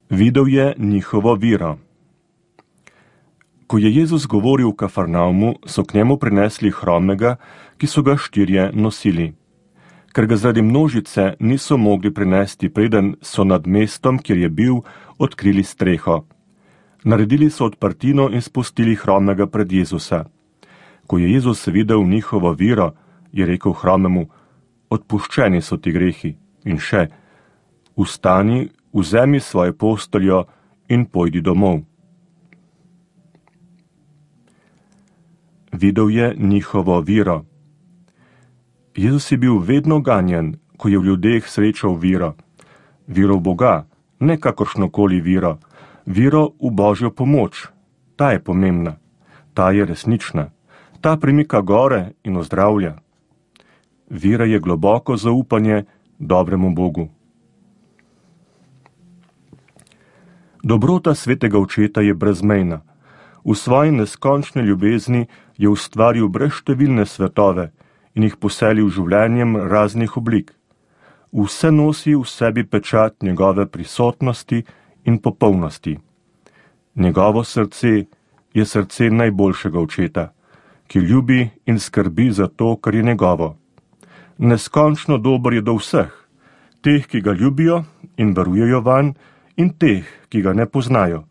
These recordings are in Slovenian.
Videl je njihovo vero. Ko je Jezus govoril v Kafarnaumu, so k njemu prinesli hromega, ki so ga 4 nosili. Ker ga zaradi množice niso mogli prinesti, preden so nad mestom, kjer je bil, odkrili streho. Naredili so odprtino in spustili hromega pred Jezusa. Ko je Jezus videl njihovo vero, je rekel hromemu: odpuščeni so ti grehi. In še: vstani, vzemi svojo posteljo in pojdi domov. Videl je njihovo vero. Jezus je bil vedno ganjen, ko je v ljudeh srečal vero. Vero v Boga, ne kakršnokoli vero. Vero v Božjo pomoč. Ta je pomembna. Ta je resnična. Ta premika gore in ozdravlja. Vera je globoko zaupanje dobremu Bogu. Dobrota svetega očeta je brezmejna. V svoji neskončni ljubezni je ustvaril brezštevilne svetove in jih poselil življenjem raznih oblik. Vse nosi v sebi pečat njegove prisotnosti in popolnosti. Njegovo srce je srce najboljšega očeta, ki ljubi in skrbi za to, kar je njegovo. Neskončno dober je do vseh, teh, ki ga ljubijo in verujejo vanj, in teh, ki ga ne poznajo.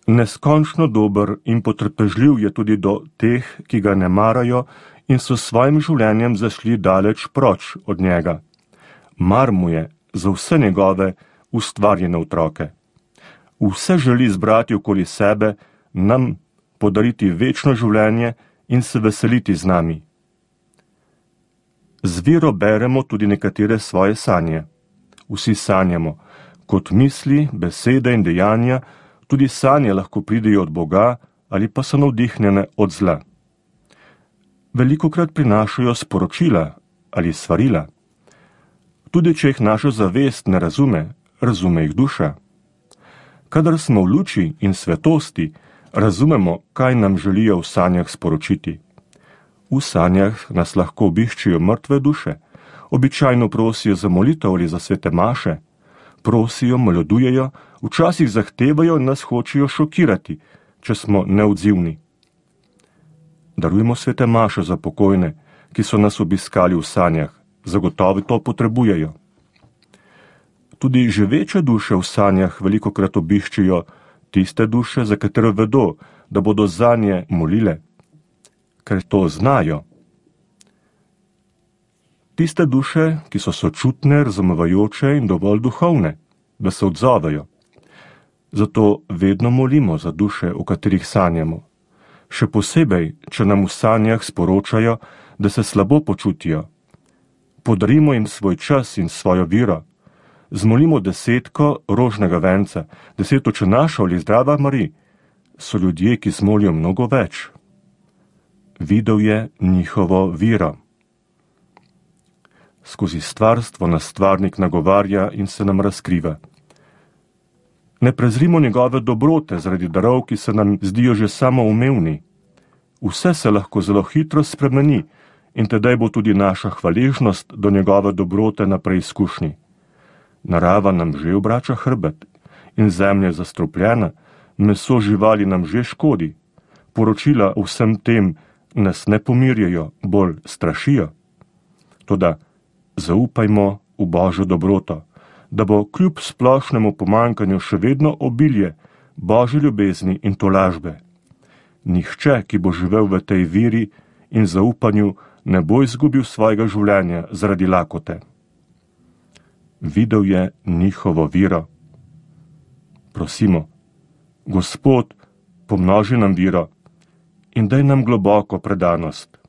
Neskončno dober in potrpežljiv je tudi do teh, ki ga ne marajo in so s svojim življenjem zašli daleč proč od njega. Mar mu je za vse njegove ustvarjene otroke. Vse želi zbrati okoli sebe, nam podariti večno življenje in se veseliti z nami. Z vero beremo tudi nekatere svoje sanje. Vsi sanjamo, kot misli, besede in dejanja, tudi sanje lahko pridejo od Boga ali pa so navdihnjene od zla. Velikokrat prinašajo sporočila ali svarila. Tudi če jih naša zavest ne razume, razume jih duša. Kadar smo v luči in svetosti, razumemo, kaj nam želijo v sanjah sporočiti. V sanjah nas lahko obiščejo mrtve duše, običajno prosijo za molitev ali za svete maše, prosijo, moljudujejo, včasih zahtevajo in nas hočejo šokirati, če smo neodzivni. Darujmo svete maše za pokojne, ki so nas obiskali v sanjah, zagotovo to potrebujejo. Tudi živeče duše v sanjah velikokrat obiščejo tiste duše, za katere vedo, da bodo zanje molile, ker to znajo. Tiste duše, ki so sočutne, razumevajoče in dovolj duhovne, da se odzovejo. Zato vedno molimo za duše, o katerih sanjamo. Še posebej, če nam v sanjah sporočajo, da se slabo počutijo. Podarimo jim svoj čas in svojo vero. Zmolimo 10 rožnega venca, 10 očenašev ali Zdrava Marij. So ljudje, ki zmolijo mnogo več. Videl je njihovo vero. Skozi stvarstvo nas stvarnik nagovarja in se nam razkriva. Ne prezrimo njegove dobrote zaradi darov, ki se nam zdijo že samoumevni. Vse se lahko zelo hitro spremeni in tedaj bo tudi naša hvaležnost do njegove dobrote na preizkušnji. Narava nam že obrača hrbet in zemlja je zastrupljena, meso živali nam že škodi. Poročila o vsem tem nas ne pomirjajo, bolj strašijo. Toda zaupajmo v Božjo dobroto, da bo kljub splošnemu pomanjkanju še vedno obilje Božje ljubezni in tolažbe. Nihče, ki bo živel v tej veri in zaupanju, ne bo izgubil svojega življenja zaradi lakote. Videl je njihovo vero. Prosimo, Gospod, pomnoži nam vero in daj nam globoko predanost.